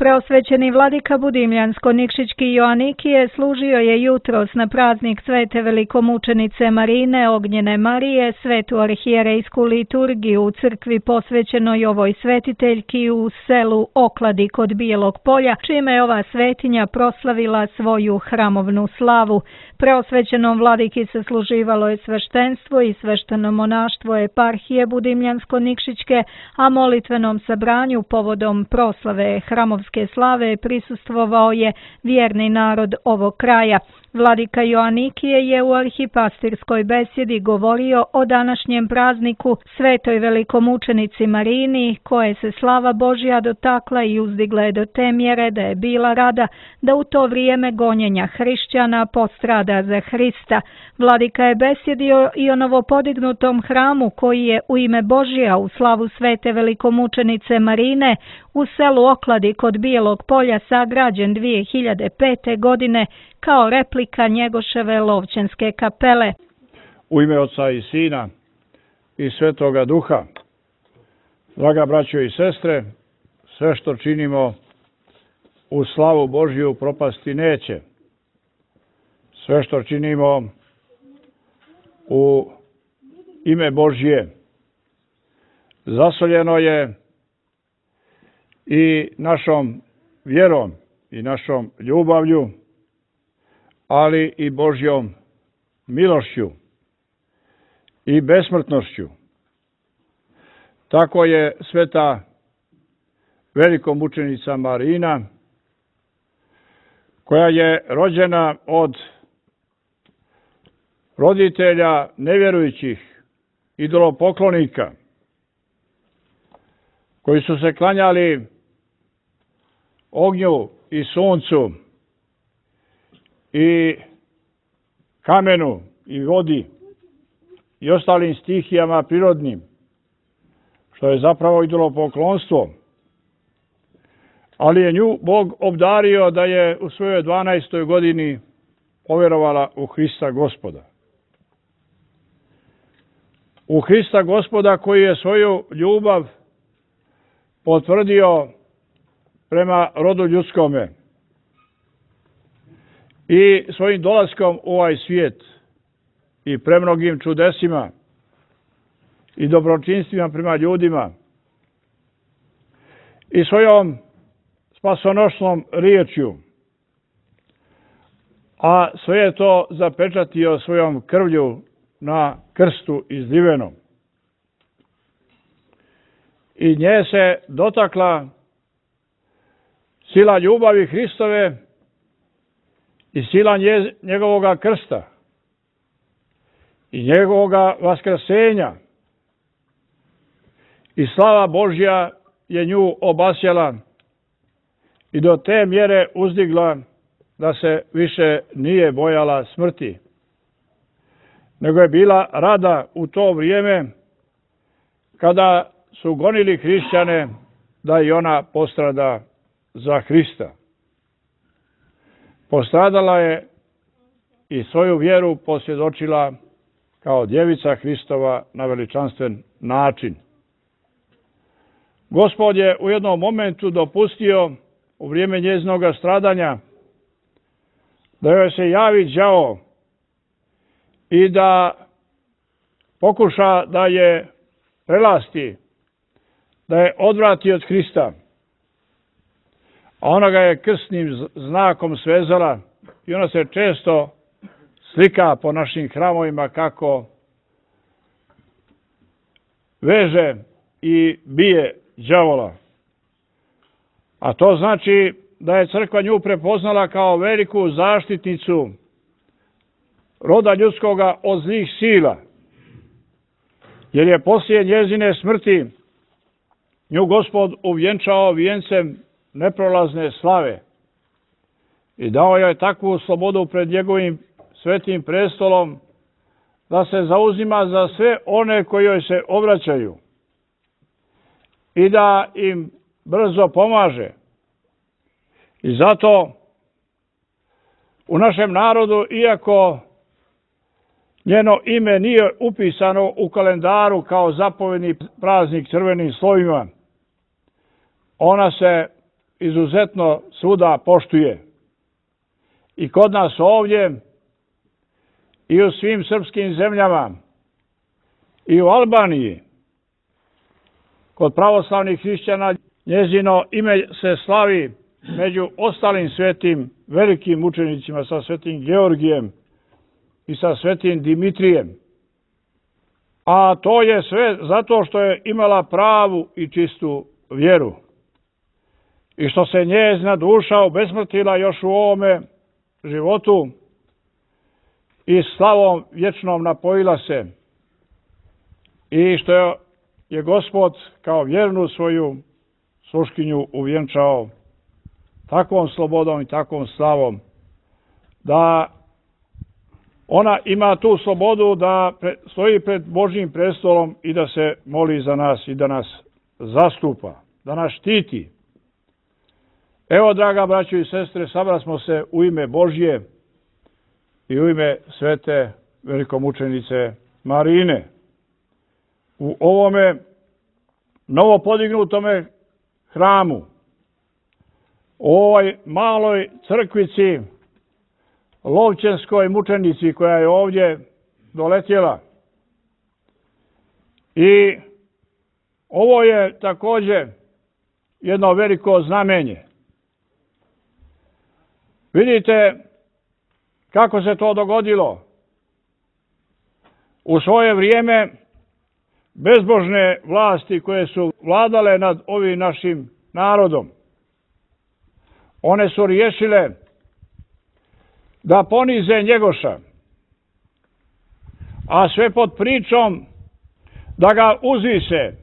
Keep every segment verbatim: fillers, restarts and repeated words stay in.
Preosvećeni vladika Budimljansko-Nikšićki Joanikije služio je jutros na praznik svete velikomučenice Marine Ognjene Marije svetu arhijerejsku liturgiju u crkvi posvećenoj ovoj svetiteljki u selu Okladi kod Bijelog Polja, čime je ova svetinja proslavila svoju hramovnu slavu. Preosvećenom vladiki se služivalo je sveštenstvo i svešteno monaštvo eparhije Budimljansko-Nikšićke, a molitvenom sabranju povodom proslave hramovske slave prisustvovao je vjerni narod ovog kraja. Vladika Joanikije je u arhipastirskoj besjedi govorio o današnjem prazniku svetoj velikomučenici Marini, koje se slava Božja dotakla i uzdigla je do te mjere da je bila rada da u to vrijeme gonjenja hrišćana postrada za Hrista. Vladika je besjedio i o novopodignutom hramu koji je u ime Božja u slavu svete velikomučenice Marine u selu Okladi kod Bijelog Polja sagrađen dvije hiljade pete. godine kao replika Njegoševe Lovćenske kapele. U ime Oca i Sina i Svetoga Duha, draga braćo i sestre, sve što činimo u slavu Božju propasti neće. Sve što činimo u ime Božje zasoljeno je i našom vjerom i našom ljubavlju, ali i Božjom milošću i besmrtnošću. Tako je sveta velikomučenica Marina, koja je rođena od roditelja nevjerujućih idolopoklonika, koji su se klanjali ognju i suncu i kamenu i vodi i ostalim stihijama prirodnim, što je zapravo idolopoklonstvo. Ali je nju Bog obdario da je u svojoj dvanaestoj godini povjerovala u Hrista Gospoda. U Hrista Gospoda koji je svoju ljubav potvrdio prema rodu ljudskome i svojim dolaskom u ovaj svijet i premnogim čudesima i dobročinstvima prema ljudima i svojom spasonosnom riječju, a sve je to zapečatio svojom krvlju na krstu izlivenom. I nje se dotakla sila ljubavi Hristove i sila njegovoga krsta i njegovoga vaskrsenja. I slava Božja je nju obasjala i do te mjere uzdigla da se više nije bojala smrti, nego je bila rada u to vrijeme kada su gonili hrišćane da i ona postrada za Hrista. Postradala je i svoju vjeru posvjedočila kao djevica Hristova na veličanstven način. Gospod je u jednom momentu dopustio u vrijeme njezinoga stradanja da joj se javi đavo i da pokuša da je prelasti, da je odvrati od Hrista. A ona ga je krstnim znakom svezala i ona se često slika po našim hramovima kako veže i bije đavola. A to znači da je crkva nju prepoznala kao veliku zaštitnicu roda ljudskoga od zlih sila, jer je poslije njezine smrti nju Gospod uvjenčao vijencem neprolazne slave i dao joj takvu slobodu pred njegovim svetim prestolom da se zauzima za sve one koji joj se obraćaju i da im brzo pomaže. I zato u našem narodu, iako njeno ime nije upisano u kalendaru kao zapovjedni praznik crvenim slovima, ona se izuzetno svuda poštuje. I kod nas ovdje, i u svim srpskim zemljama, i u Albaniji, kod pravoslavnih hrišćana, njezino ime se slavi među ostalim svetim velikim mučenicima, sa svetim Georgijem i sa svetim Dimitrijem. A to je sve zato što je imala pravu i čistu vjeru. I što se njezina duša obesmrtila još u ovome životu i slavom vječnom napojila se. I što je Gospod kao vjernu svoju sluškinju uvjenčao takvom slobodom i takvom slavom, da ona ima tu slobodu da stoji pred Božjim prestolom i da se moli za nas i da nas zastupa, da nas štiti. Evo, draga braćo i sestre, sabrali smo se u ime Božje i u ime svete velikomučenice Marine u ovome novo podignutome hramu, u ovoj maloj crkvici, Lovćenskoj mučenici koja je ovdje doletjela. I ovo je također jedno veliko znamenje. Vidite kako se to dogodilo. U svoje vrijeme bezbožne vlasti koje su vladale nad ovim našim narodom, one su riješile da ponize Njegoša, a sve pod pričom da ga uzvise,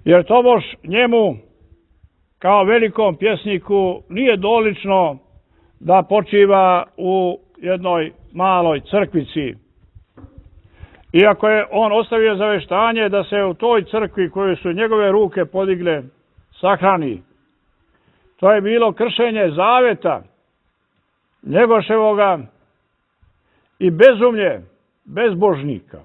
jer tobož njemu kao velikom pjesniku nije dolično da počiva u jednoj maloj crkvici. Iako je on ostavio zaveštanje da se u toj crkvi koju su njegove ruke podigle sahrani. To je bilo kršenje zaveta Njegoševoga i bezumlje bezbožnika.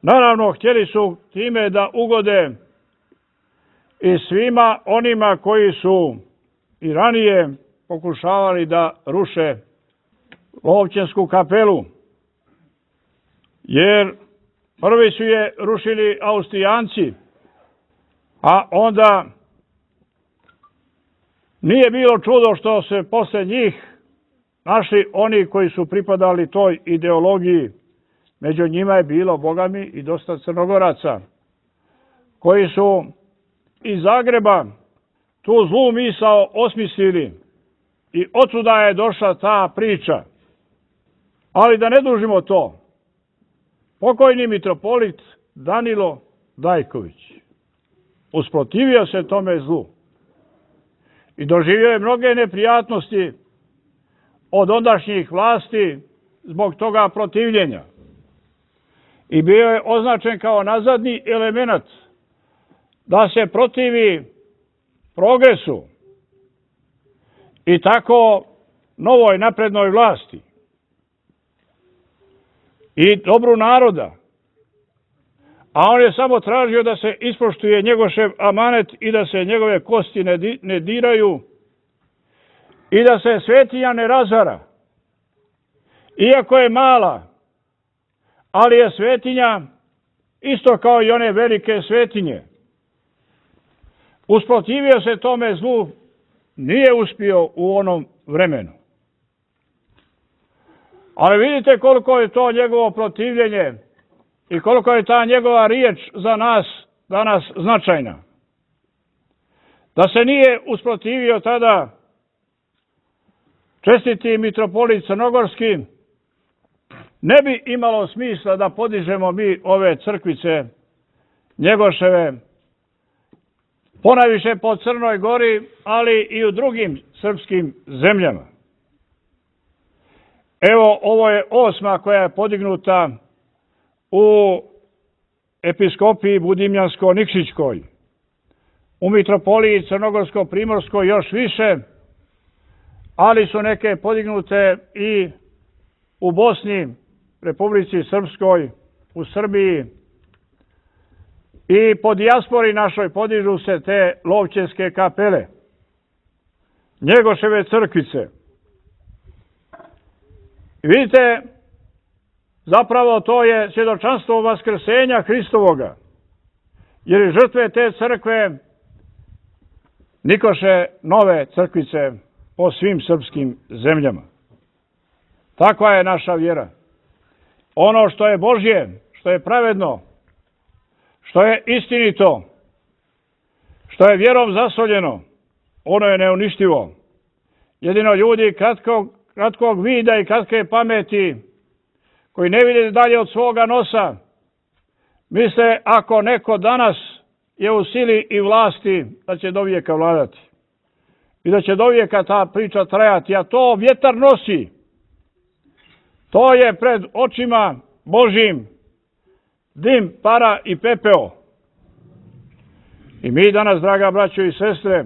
Naravno, htjeli su time da ugode i svima onima koji su i ranije pokušavali da ruše Lovćensku kapelu. Jer prvi su je rušili Austrijanci, a onda nije bilo čudo što se posle njih našli oni koji su pripadali toj ideologiji. Među njima je bilo, bogami, i dosta Crnogoraca, koji su iz Zagreba tu zlu misao osmislili i otuda je došla ta priča. Ali da ne dužimo to, pokojni mitropolit Danilo Dajković usprotivio se tome zlu i doživio je mnoge neprijatnosti od ondašnjih vlasti zbog toga protivljenja. I bio je označen kao nazadni element da se protivi progresu i tako novoj naprednoj vlasti i dobru naroda. A on je samo tražio da se ispoštuje Njegošev amanet i da se njegove kosti ne, di, ne diraju i da se svetinja ne razara. Iako je mala, ali je svetinja isto kao i one velike svetinje. Usprotivio se tome zlu, nije uspio u onom vremenu. Ali vidite koliko je to njegovo protivljenje i koliko je ta njegova riječ za nas danas značajna. Da se nije usprotivio tada čestiti mitropolit Crnogorski, ne bi imalo smisla da podižemo mi ove crkvice Njegoševe, ponajviše po Crnoj Gori, ali i u drugim srpskim zemljama. Evo, ovo je osma koja je podignuta u episkopiji Budimljansko-Nikšićkoj, u mitropoliji Crnogorsko-Primorskoj još više, ali su neke podignute i u Bosni, Republici Srpskoj, u Srbiji I po dijaspori našoj podižu se te Lovćenske kapele, Njegoševe crkvice. I vidite, zapravo to je svjedočanstvo vaskrsenja Hristovoga, jer i žrtve te crkve nikoše nove crkvice po svim srpskim zemljama. Takva je naša vjera. Ono što je Božje, što je pravedno, što je istinito, što je vjerom zasoljeno, ono je neuništivo. Jedino ljudi kratkog, kratkog vida i kratke pameti, koji ne vide dalje od svoga nosa, misle ako neko danas je u sili i vlasti, da će do vijeka vladati. I da će do vijeka ta priča trajati, a to vjetar nosi. To je pred očima Božjim dim, para i pepeo. I mi danas, draga braćo i sestre,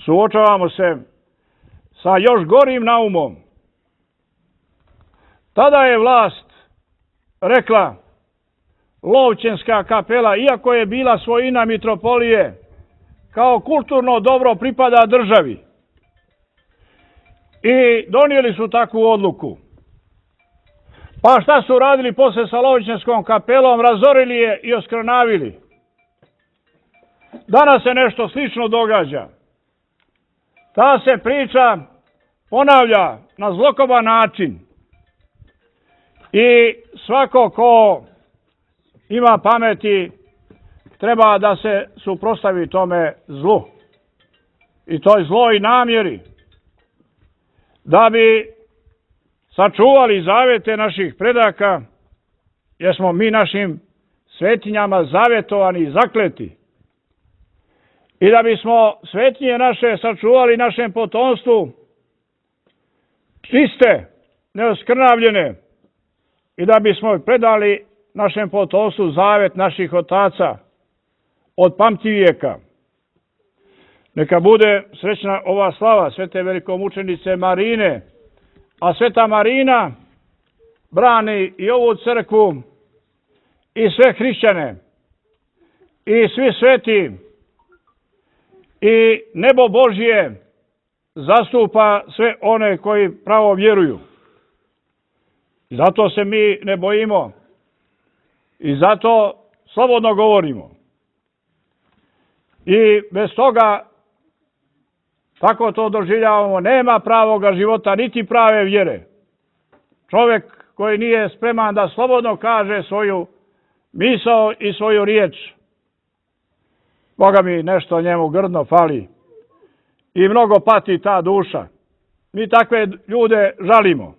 suočavamo se sa još gorim naumom. Tada je vlast rekla Lovćenska kapela, iako je bila svojina mitropolije, kao kulturno dobro pripada državi. I donijeli su takvu odluku. Pa šta su radili posle sa Lovćenskom kapelom? Razorili je i oskrnavili. Danas se nešto slično događa. Ta se priča ponavlja na zlokoban način. I svako ko ima pameti treba da se suprotstavi tome zlu. I toj zloj namjeri. Da bi sačuvali zavete naših predaka, jer smo mi našim svetinjama zavetovani i zakleti. I da bismo svetinje naše sačuvali našem potomstvu čiste, neoskrnavljene, i da bismo predali našem potomstvu zavet naših otaca od pamtivijeka. Neka bude srećna ova slava svete velikomučenice Marine, a sveta Marina brani i ovu crkvu i sve hrišćane i svi sveti i nebo Božje zastupa sve one koji pravo vjeruju. I zato se mi ne bojimo i zato slobodno govorimo. I bez toga, tako to doživljavamo, nema pravoga života niti prave vjere. Čovjek koji nije spreman da slobodno kaže svoju misao i svoju riječ, Boga mi nešto njemu grdno fali i mnogo pati ta duša. Mi takve ljude žalimo.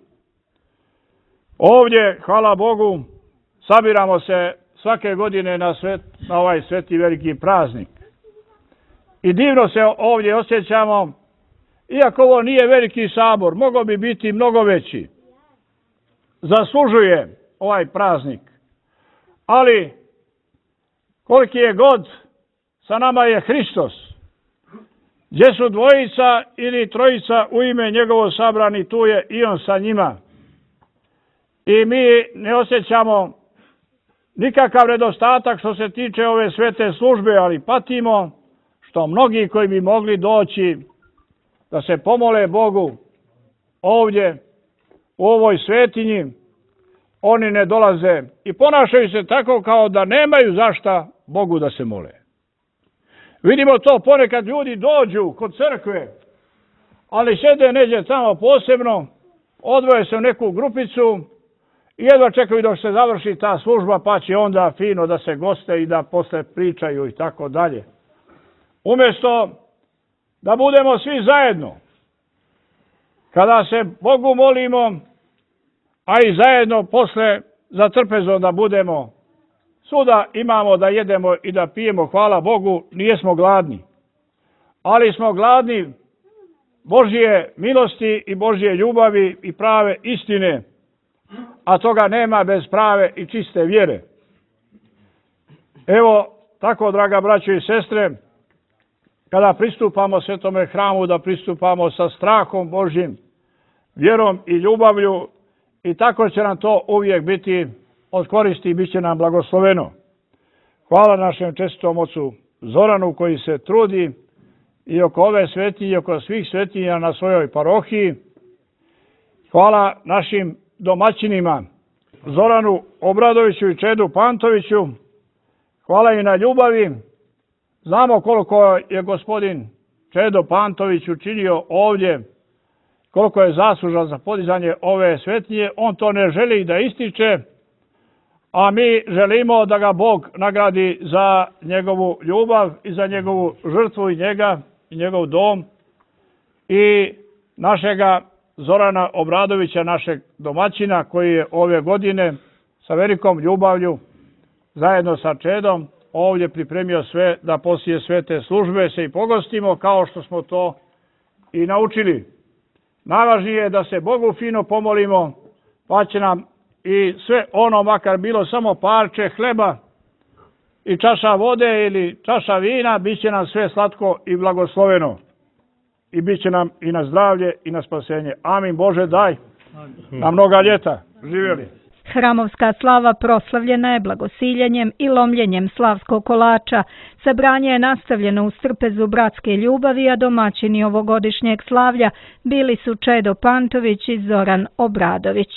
Ovdje, hvala Bogu, sabiramo se svake godine na, svet, na ovaj sveti veliki praznik. I divno se ovdje osjećamo, iako ovo nije veliki sabor, mogao bi biti mnogo veći. Zaslužuje ovaj praznik. Ali, koliki je god, sa nama je Hristos. Gdje su dvojica ili trojica u ime njegovo sabrani, tu je i on sa njima. I mi ne osjećamo nikakav nedostatak što se tiče ove svete službe, ali patimo što mnogi koji bi mogli doći da se pomole Bogu ovdje u ovoj svetinji, oni ne dolaze i ponašaju se tako kao da nemaju zašta Bogu da se mole. Vidimo to ponekad, ljudi dođu kod crkve, ali sjede neđe tamo posebno, odvoje se u neku grupicu i jedva čekaju dok se završi ta služba, pa će onda fino da se goste i da posle pričaju i tako dalje. Umjesto da budemo svi zajedno, kada se Bogu molimo, a i zajedno posle za trpezom da budemo, svuda imamo da jedemo i da pijemo, hvala Bogu, nijesmo gladni. Ali smo gladni Božje milosti i Božje ljubavi i prave istine, a toga nema bez prave i čiste vjere. Evo, tako, draga braćo i sestre, kada pristupamo svetome hramu, da pristupamo sa strahom Božjim, vjerom i ljubavlju, i tako će nam to uvijek biti od koristi i bit će nam blagosloveno. Hvala našem čestitom ocu Zoranu koji se trudi i oko ove svetinje i oko svih svetinja na svojoj parohiji. Hvala našim domaćinima Zoranu Obradoviću i Čedu Pantoviću. Hvala i na ljubavi. Znamo koliko je gospodin Čedo Pantović učinio ovdje, koliko je zaslužan za podizanje ove svetinje. On to ne želi da ističe, a mi želimo da ga Bog nagradi za njegovu ljubav i za njegovu žrtvu i njega i njegov dom i našega Zorana Obradovića, našeg domaćina koji je ove godine sa velikom ljubavlju zajedno sa Čedom ovdje pripremio sve da poslije svete službe se i pogostimo kao što smo to i naučili. Najvažnije je da se Bogu fino pomolimo, pa će nam i sve ono, makar bilo samo parče hleba i čaša vode ili čaša vina, bit će nam sve slatko i blagosloveno. I bit će nam i na zdravlje i na spasenje. Amin. Bože, daj na mnoga ljeta. Živjeli. Hramovska slava proslavljena je blagosiljenjem i lomljenjem slavskog kolača. Sabranje je nastavljeno u strpezu bratske ljubavi, a domaćini ovogodišnjeg slavlja bili su Čedo Pantović i Zoran Obradović.